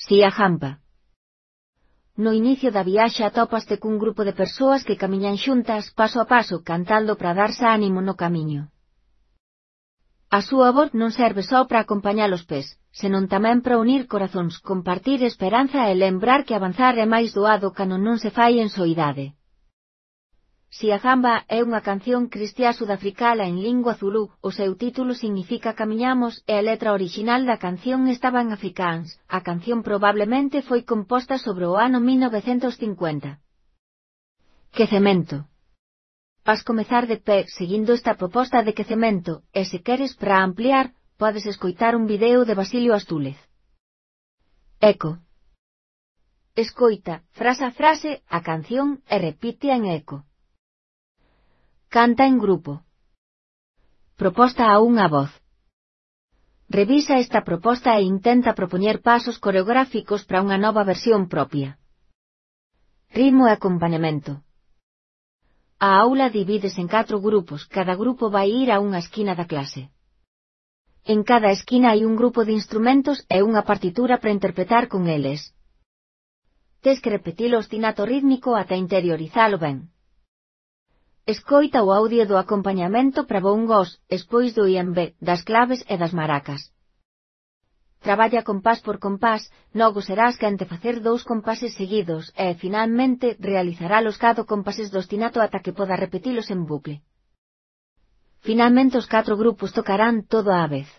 Si a jampa. No inicio da viaxe atópaste cun grupo de persoas que camiñan xuntas paso a paso cantando para darse ánimo no camiño. A súa voz non serve só para acompañar os pés, senón tamén para unir corazóns, compartir esperanza e lembrar que avanzar é máis doado cando non se fai en soidade. Si a jamba é unha canción cristiá sudafricana en lingua zulú, o seu título significa Camiñamos e a letra original da canción estaba en afrikáans. A canción probablemente foi composta sobre o ano 1950. Quecemento. Vas comezar de pé seguindo esta proposta de quecemento, e se queres para ampliar, podes escoitar un video de Basilio Astúlez. Eco. Escoita, frase a frase, a canción e repite en eco. Canta en grupo. Proposta a unha voz. Revisa esta proposta e intenta propoñer pasos coreográficos para unha nova versión propia. Ritmo e acompañamento. A aula divídese en 4 grupos, cada grupo vai ir a unha esquina da clase. En cada esquina hai un grupo de instrumentos e unha partitura para interpretar con eles. Tes que repetir o ostinato rítmico ata interiorizalo ben. Escoita o audio do acompañamento para bongos, espois do iambé, das claves e das maracas. Traballa compás por compás, logo serás quen de facer 2 compases seguidos e, finalmente, realizarálos cada compases do ostinato ata que poda repetilos en bucle. Finalmente os 4 grupos tocarán todo á vez.